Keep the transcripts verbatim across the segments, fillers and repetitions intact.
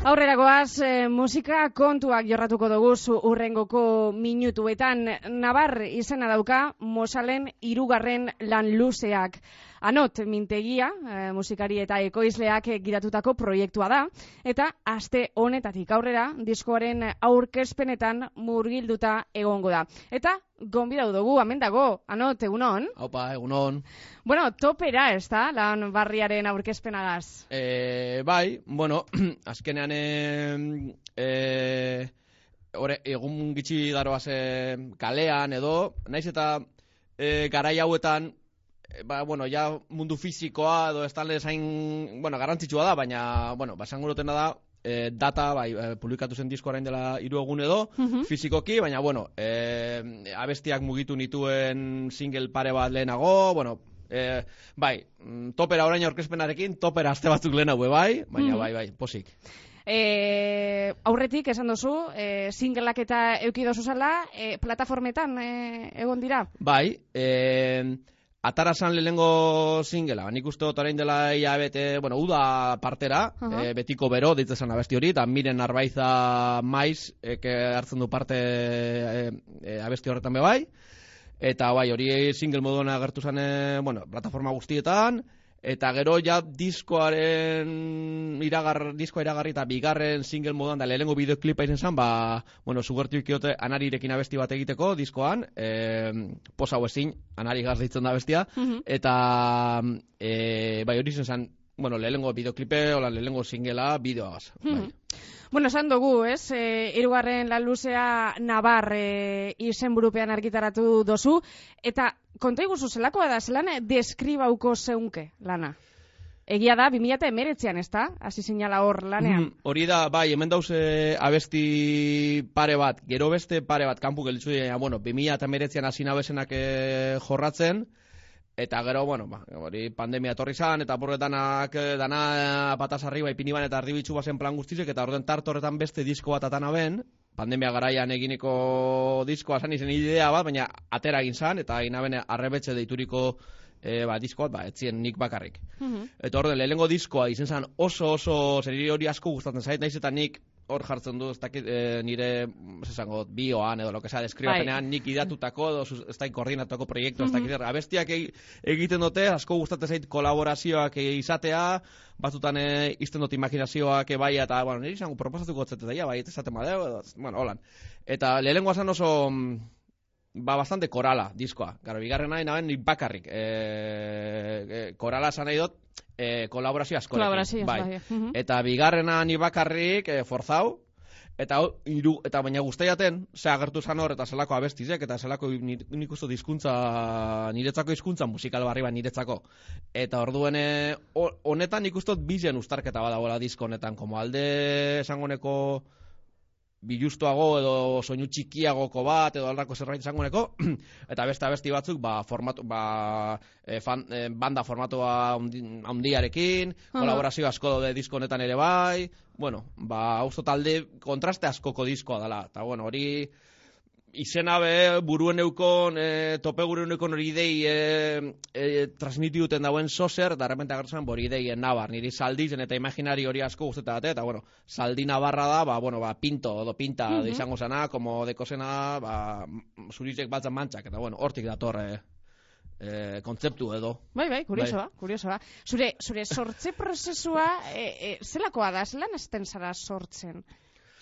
Aurrera goaz, e, musika kontuak jorratuko dugu urrengoko minutuetan. Nabar izena dauka Mosalen hirugarren lan luzeak. Anot mintegia, e, musikari eta ekoizleak gidatutako proiektua da, eta aste honetatik aurrera diskoaren aurkezpenetan murgilduta egongo da. Eta gonbidatu dugu, hemen dago, Anot, egunon? Haupa, egunon. Bueno, topera ez da, lan barriaren aurkezpenagaz? E, bai, bueno, azkenean e, e, ore, egun gitxi daroaz e, kalean edo, naiz eta e, garai hauetan, e, ba, bueno, ja mundu fizikoa edo ez talde zain, bueno, garantzitsua da, baina, bueno, basango dutena da, e, data, bai, e, publikatu zen disko orain dela hiru egun edo, uh-huh. fizikoki, baina, bueno, e, abestiak mugitu nituen single pare bat lehenago, bueno, e, bai, topera orain aurkezpenarekin, topera aste batzuk lehenago, bai, baina, uh-huh. bai, bai, posik. E, aurretik esan duzu, e, singleak eta euki dozu zala, e, plataformetan e, egon dira? Bai, e, atarasan lehenengo singela, nik uste dut orain dela ia bete, bueno, uda partera, uh-huh. e, betiko bero, ditzen abesti hori, eta Miren Arbaiza Maiz, eke hartzen du parte e, e, abesti horretan be bai, eta bai, hori single moduan agertu zen, e, bueno, plataforma guztietan, eta gero ja diskoaren iragar, diskoa iragarri eta bigarren single moduan da lehenengo bideoklipa izan zen, ba, bueno, sugertu ikiote Anarirekin abesti bat egiteko diskoan, e, posa hau ezin, Anari gaz ditzen da abestia, uh-huh. eta e, bai hori zen, bueno, lehenengo bideoklipe, ola lehenengo singela, bideoaz, uh-huh. bai. Bueno, esan dugu, ez, e, hirugarren lan luzea Nabar e, izenburupean argitaratu dozu, eta konta iguzu zelakoa da, zelan deskribauko zeunke lana? Egia da, bi mila hemeretzian, ez da? Hasi zinala hor lanean. Mm, hori da, bai, hemen dauze abesti pare bat, gero beste pare bat, kanpu gelitzu dira, bueno, bi mila hemeretzian hasi nabesenak e, jorratzen, eta gero, bueno, ba, hori pandemia etorri zan, eta borretanak dana patas arriba ipini ban eta ardibitzu bazen plan guztizek, eta orden tarte horretan beste disko bat atana ben, pandemia garaian eginiko diskoa zan izen idea bat, baina atera egin zan, eta egin abene arrebetxe deituriko e, ba, diskoat, ba, etzien nik bakarrik. Uh-huh. Eta orden, lehenengo diskoa izen zan oso oso zeriri hori asko gustatzen zait, naiz eta nik hor jartzen du, ez dakit e, nire, ez esango, bioan edo, lo que sea, deskribapenean nik idatutako, edo ez dakit koordinatuako proiektu, ez dakit, uh-huh. abestiak egiten dute, asko gustatzen zait kolaborazioak izatea, batzutan e, izten dut imaginazioak bai, eta, bueno, nire izango proposatuko gotzete daia, bai, ez esaten badeo, edo, bueno, holan. Eta lehenengoa zan oso, ba, bastante korala, diskoa. Garo, bigarren nahi naben nik bakarrik. E, e, korala esan nahi dut, e, kolaborazio askorekin. Kolaborazio, bai. bai. Uh-huh. Eta bigarrena nik bakarrik, e, forzau, eta iru, eta baina guztaiaten, ze agertu zan hor, eta zelako abestizek, eta zelako nik usto dizkuntza, niretzako hizkuntza musikal barri bat niretzako. Eta orduen, honetan nik ustot bizen ustarketa badagoela disko honetan, como alde esangoneko bilustuago edo soinu txikiagoko bat edo aldarko zerbait izangoneko eta beste abesti batzuk ba, formatu, ba, e, fan, e, banda formatua handiarekin, uh-huh. kolaborazio asko daude disko honetan ere bai, bueno, ba, usto talde kontraste askoko diskoa dela, eta bueno, hori izena be buruen eukon, e, tope buruen eukon hori idei e, e, transmitiduten dauen sozer, eta repente agertzen hori idei Nabar, niri saldizen eta imaginari hori asko guztetate, eta bueno, saldi Nabarra da, ba, bueno, ba, pinto, edo pinta uh-huh. izango zena, como dekosena, ba, zurizek batzan mantxak, eta bueno, hortik dator, e, e, kontzeptu edo. Bai, bai, kurioso ba, kurioso ba. Zure, zure sortze prozesua, e, e, zelakoa da, zelan esten zara sortzen?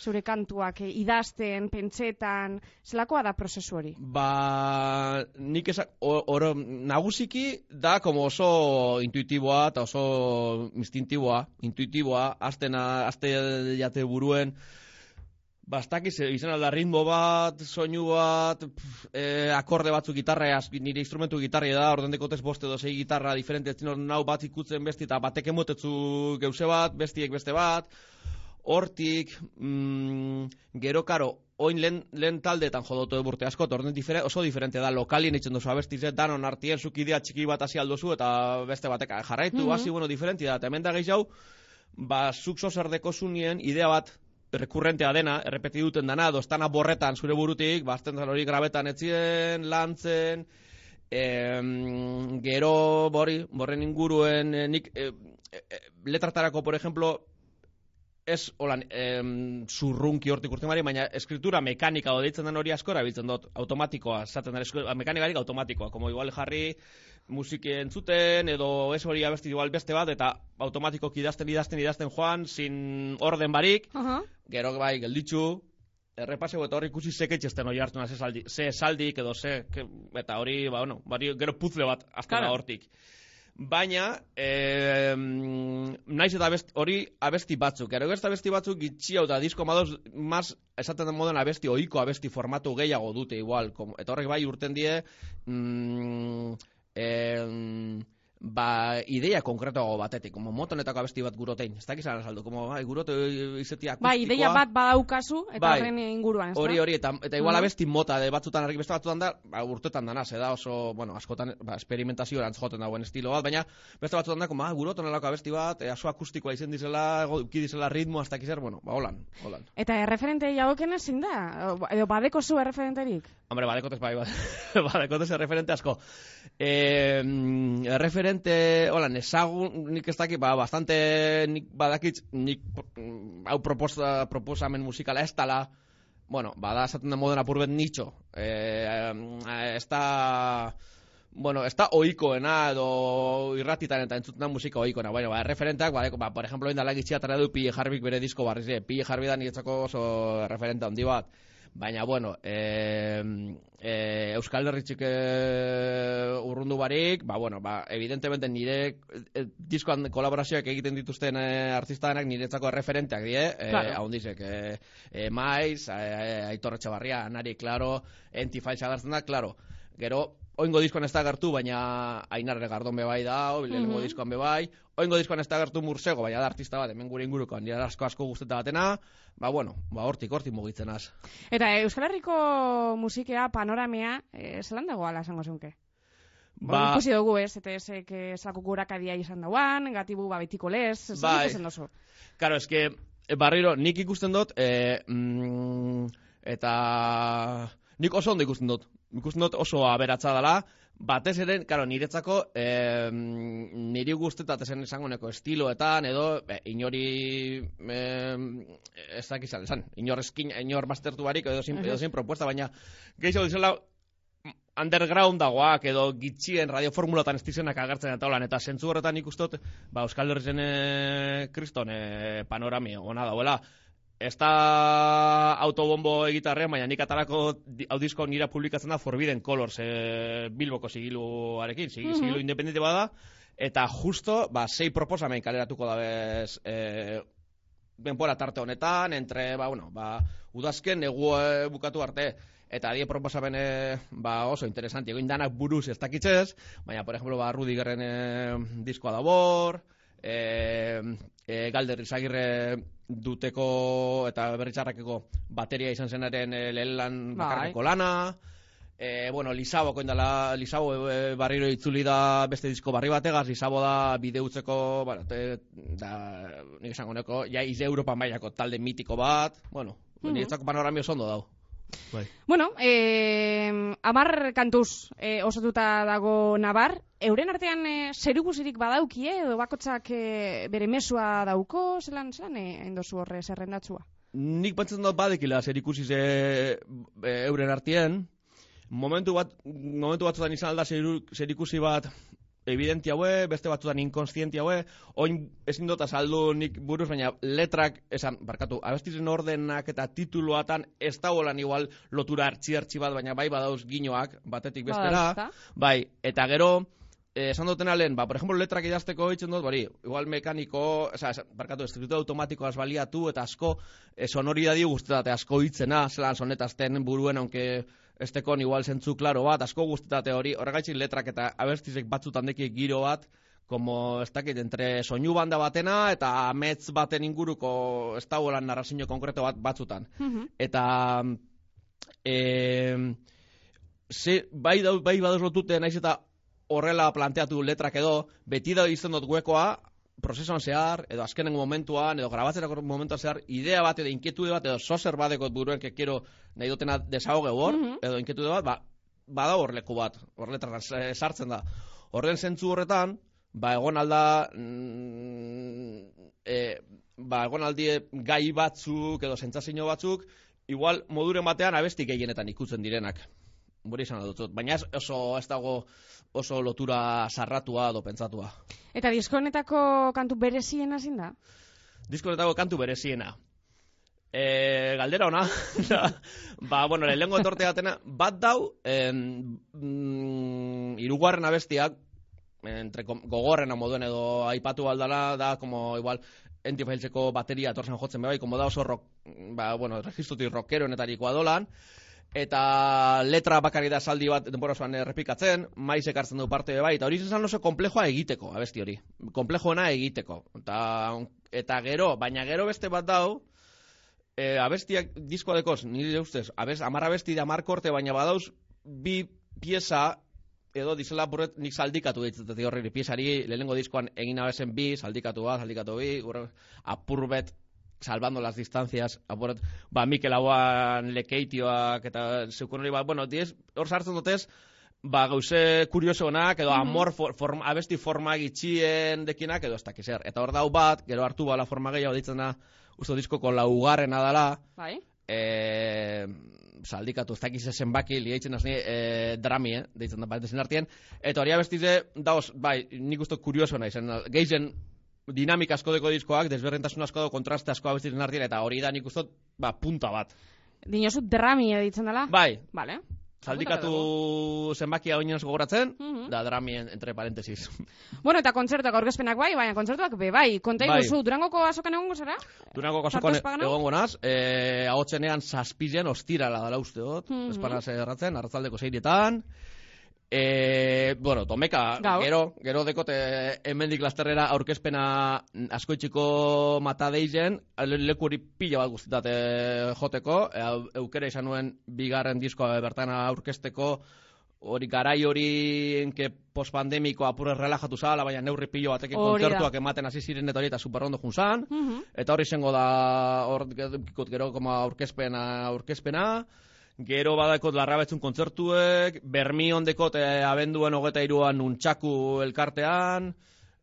Zure kantuak, eh, idazten, pentsetan, zelakoa da prozesu hori? Ba, nik esak, oro, nagusiki da como oso intuitiboa eta oso instintiboa, intuitiboa, aztena, azte jate buruen, bastakiz, izan alda ritmo bat, soinu bat, pf, eh, akorde batzuk gitarra, nire instrumentu gitarra da, orden dekotez boste edo sei gitarra diferente, etzin nau bat ikutzen besti, eta batek emotetzu geuse bat, bestiek beste bat, hortik, mm, gero karo, oin lehen, lehen taldeetan jodotu eburte asko, orden difere, oso diferente da, lokalien itzen duzu abestizet, danon artien zukidea txiki bat hasi aldozu, eta beste batek jarraitu, mm-hmm. hasi, bueno, diferenti da, eta hemen da gehiago, ba, zuk zozerdeko zunien, idea bat, rekurrentea dena, errepeti duten dana, dostana borretan zure burutik, bazten hori grabetan etzien, lantzen, em, gero, bori, borren inguruen, eh, nik, eh, eh, letratarako, por ejemplo, ez holan em, zurrunki hortik urten bari, baina eskritura mekanika deitzen den hori asko erabiltzen dut, automatikoa, zaten da, mekanikarik automatikoa, como igual jarri musiki entzuten, edo ez hori abesti igual beste bat, eta automatikoki idazten, idazten, idazten joan, sin orden barik, uh-huh. Gero bai, gelditzu, errepaseo eta hori ikusi seketxesten hori hartu ze saldi, ze saldik edo ze, ke, eta hori, ba, bueno, bari, gero puzle bat azten da hortik. Baina, eh, naiz eta abesti, hori abesti batzuk. Gero ez abesti batzuk gitxi hau da disko madoz, maz, esaten den moden abesti, oiko abesti formatu gehiago dute igual. Como, eta horrek bai urten die, mm, eh, ba, ideia konkretoago batetik, como motonetako abesti bat gurotein. Ez dakiz azaldu, como, bai, gurote izetia akustikoa. Bai, ideia bat badaukazu, eta bai, horren inguruan, ez da? Hori, hori, eta, eta igual uh-huh. abesti mota, de batzutan, argi beste batzutan da, ba, urtetan danaz, da oso, bueno, askotan, ba, esperimentazio erantz joten dagoen estilo bat, baina beste batzutan da, como, ah, guroton alako abesti bat, e, aso akustikoa izen dizela, uki dizela ritmo, hasta kizer, bueno, ba, holan, holan. Eta erreferente jagoken ezin da? Edo badeko zu erreferenterik? Hombre, badekotez, bai, badekotez erreferente asko. Eh, erreferente, holan, ezagun, nik ez dakit, ba, bastante, nik badakit, nik, hau proposa, proposamen musikala ez tala, bueno, bada esaten den moden apurbet nitxo, eh, ez da, bueno, ez da oikoena edo irratitan eta entzuten da musika oikoena, bueno, ba, referenteak, ba, ba, por ejemplo, indala gitxia tara du Pille Harvik bere disko barriz, eh, Pille Harvik da niretzako oso referente handi bat, baina, bueno, eh, eh, Euskal Herritxik eh, urrundu barik, ba, bueno, ba, evidentemente nire eh, diskoan kolaborazioak egiten dituzten eh, artistanak niretzako referenteak die, eh, claro. Ahondizek, eh, eh, Maiz, eh, Aitor Etxebarria, Anari, claro, Entifaitza gartzen da, claro, gero, oingo diskoan ez da gertu, baina Ainar Regardon bebai da, lehenengo mm-hmm. diskoan bebai, oingo diskoan ez da gertu Mursego, baina da artista bat, hemen gure ingurukoan, nire asko asko guzteta batena, ba, bueno, ba, hortik, hortik mugitzen az. Eta Euskal Herriko musikea, panoramea, eh, zelan dago ala esango zeunke? Ba, ikusi dugu ez, eta ezek zelako gurakadia izan dauan, gatibu ba betiko lez, zer bai, ikusten dozu? Karo, eske, barriro, nik ikusten dut, eh, mm, eta nik oso ondo ikusten dut. Ikusten dut oso aberatza dela, batez ere, karo, niretzako, eh, niri guztetat esen esangoneko estiloetan, edo, eh, inori, eh, ez dakizan, esan, inor eskin, inor mastertu barik, edo zin, edo zin propuesta, baina, gehiago dizela, underground dagoak, edo gitxien radioformulatan estizenak agertzen eta holan, eta zentzu horretan ikustot, ba, Euskal Herrizen eh, kriston eh, panorami ona dauela. Ez da autobombo egitarrean, baina nik atarako audizko nira publikatzen da Forbidden Colors, e, Bilboko sigiluarekin, sigilu mm-hmm. independente bada, eta justo, ba, sei proposamen kaleratuko da bez, e, denbora tarte honetan, entre, ba, bueno, ba, udazken negu e, bukatu arte, eta die proposamen e, ba, oso interesanti, egin danak buruz ez dakitzez, baina, por ejemplo, ba, Rudigerren e, diskoa da bor, e, e, Galder Izagirre duteko eta berritzarrakeko bateria izan zenaren e, lehen lan bakarreko lana, e, bueno, Lisaboko indala, Lisabo e, barriro itzuli da beste disko barri bategaz, Lisabo da bideutzeko, bueno, te, da, nik esango neko, ja ize Europa mailako talde mitiko bat, bueno, mm-hmm. niretzako panoramio oso ondo dau. Bai. Bueno, eh, amar kantuz eh, osatuta dago Nabar, euren artean eh, zerikusirik badaukie, edo bakotzak eh, bere mesua dauko, zelan, zelan eh, endozu horre zerrendatzua? Nik pentsatzen dut badekila zerikusi ze e, euren artean, momentu bat, momentu batzutan izan alda zerikusi bat evidenti haue, beste batzutan inkonstienti haue, oin ezin dut azaldu nik buruz, baina letrak, esan, barkatu, abestizen ordenak eta tituluatan ez dagoelan igual lotura hartzi-hartzi bat, baina bai badauz ginoak, batetik bestera, bai, eta gero, Eh, esan dutena lehen, ba, por ejemplo, letrak idazteko hitzen dut, bari, igual mekaniko, oza, barkatu, estributu automatikoaz baliatu, eta asko eh, sonoridadi guztetate asko hitzena, zelan sonetazten buruen, aunque estekon igual zentzu klaro bat, asko guztetate hori, horregaitzik letrak eta abestizek batzutan deki giro bat, como ez dakit, entre soinu banda batena eta amets baten inguruko ez dagoelan narrazio konkreto bat batzutan. Mm-hmm. Eta eh, ze, bai, bai badoz lotute naiz eta horrela planteatu letrak edo, beti da izan dut guekoa, prozesuan zehar, edo azkenengo momentuan, edo grabatzerako momentuan zehar, idea bat edo inkietude bat, edo sozer badekot buruen que quiero nahi dutena desahoge hor, mm-hmm. edo inkietude bat, ba, bada hor leku bat, hor letrak sartzen da. Horren zentzu horretan, ba, egon alda, mm, e, ba, egon aldie gai batzuk edo sentsazio batzuk, igual moduren batean abesti gehienetan ikutzen direnak. Hori izan dut, baina ez, oso ez dago oso lotura sarratua edo pentsatua. Eta disko honetako kantu bereziena zein da? Disko honetako kantu bereziena. E, galdera ona, ba, bueno, lehenengo etorte gatena, bat dau, en, mm, irugarren abestiak, entre gogorrena moduen edo aipatu aldala, da, como igual, entifailtzeko bateria etorzen jotzen bai, como da oso rock, ba, bueno, registrutik rockeronetariko adolan, eta letra bakari da saldi bat denbora osoan errepikatzen, maiz ekartzen du parte bai, eta hori izan oso komplejoa egiteko, abesti hori. Komplejoena egiteko. Eta, eta gero, baina gero beste bat dau, e, abestiak diskoa dekoz, nire ustez, abest, amar abesti da amar korte, baina badauz bi pieza, edo dizela burret nik saldikatu ditzatik horri piezari, lehenengo diskoan egin abezen bi, saldikatu bat, saldikatu bi, apurbet, salvando las distancias, apurat, ba, Mikel Hauan lekeitioak, eta zeukon hori, ba, bueno, diez, hor sartzen dutez, ba, gauze kuriosonak, edo amor, for, form, abesti forma gitxien dekinak, edo ez dakiz er. Eta hor dau bat, gero hartu bala forma gehiago ditzen da, uste diskoko laugarrena dala, bai? E, saldikatu, ez dakiz zenbaki, liaitzen azni, e, drami, eh, deitzen da, bat ezin artien, eta hori abestize, daoz, bai, nik uste kurioso nahi zen, geizen, dinamika asko deko diskoak, desberdintasun asko deko kontraste asko abestizen artien, eta hori da nik uste, ba, punta bat. Dinosu drami editzen dela? Bai. Vale. Saldikatu zenbakia oinez gogoratzen, uh-huh. da dramien entre parentesis. Bueno, eta kontzertuak aurkezpenak bai, baina kontzertuak be bai. Konta iguzu, bai. Durangoko azokan egongo zara? Durangoko azokan egongo naz, eh, ahotzenean zazpizen ostirala dala uste dut, uh-huh. espanaz erratzen, arratzaldeko seirietan. E, bueno, tomeka, Gau. gero, gero dekote hemendik lasterrera aurkezpena askoitxiko matadeizen, leku hori pila bat guztitate joteko, e, eukera izan nuen bigarren diskoa bertan aurkezteko, hori garai hori enke postpandemiko apurre relajatu zala, baina neurri pilo batekin kontzertuak ematen hasi ziren eta hori eta superrondo junzan, uh-huh. eta hori izango da hor gero como aurkezpena, aurkezpena, gero badakot larrabetzun kontzertuek, bermi ondekot eh, abenduen hogeta iruan nuntxaku elkartean,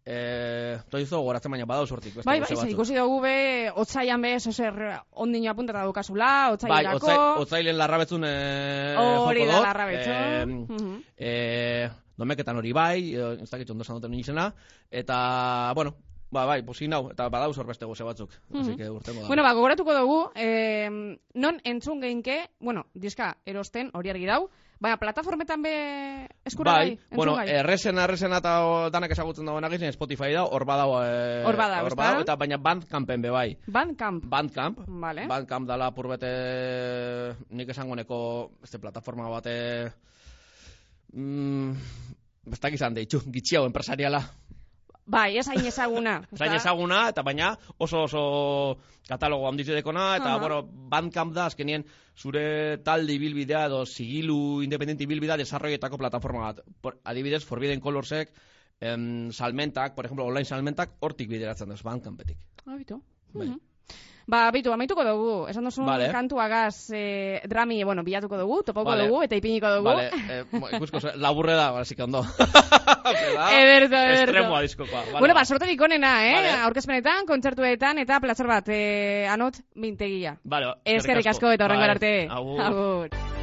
eh, toizo goratzen baina badau sortik. Bai, bai, zer ikusi dugu be, otzaian be, zozer ondino apuntata dukazula, otzailerako. Bai, otzailen larrabetzun eh, hori da larrabetzun. Eh, uh-huh. eh, domeketan hori bai, ez dakit ondo esan duten izena, eta, bueno, ba, bai, posi nau, eta badauz horbeste goze batzuk. Mm-hmm. Así que urtengo da. Bueno, ba, gogoratuko dugu, eh, non entzun geinke, bueno, diska erosten, hori argi dau, baina plataformetan be eskura bai, bai bueno, errezena, errezena eta danak ezagutzen dagoen agizien Spotify da, hor badau, eh, hor badau, hor badau, eta baina Bandcampen be bai. Bandcamp? Bandcamp, vale. Bandcamp dala purbete, nik esango neko, este plataforma bate, mm, bestak izan deitxu, gitxiau empresariala. Bai, ez hain ezaguna. Ez hain ezaguna, eta baina oso oso katalogo handiz edekona, eta, uh-huh. bueno, Bandcamp da, azkenien zure talde ibilbidea edo sigilu independente ibilbidea desarroietako plataforma bat. Por, adibidez, Forbidden Colorsek, em, salmentak, por ejemplo, online salmentak, hortik bideratzen duz, Bandcampetik. Ah, bitu. Bai. Uh-huh. Ba, bitu, amaituko dugu, esan duzun vale. Kantuagaz eh, drami, bueno, bilatuko dugu, topauko vale. dugu, eta ipiniko dugu. Vale, eh, ikusko, laburre da, así que ondo. Ederto, ederto. Estremoa diskokoa. Vale, bueno, ba, sorterik onena, eh? Vale. Aurkezpenetan, kontzertuetan, eta plazer bat, eh, anot, mintegia. Vale, eskerrik asko, eta horrengo arte. Agur. Agur.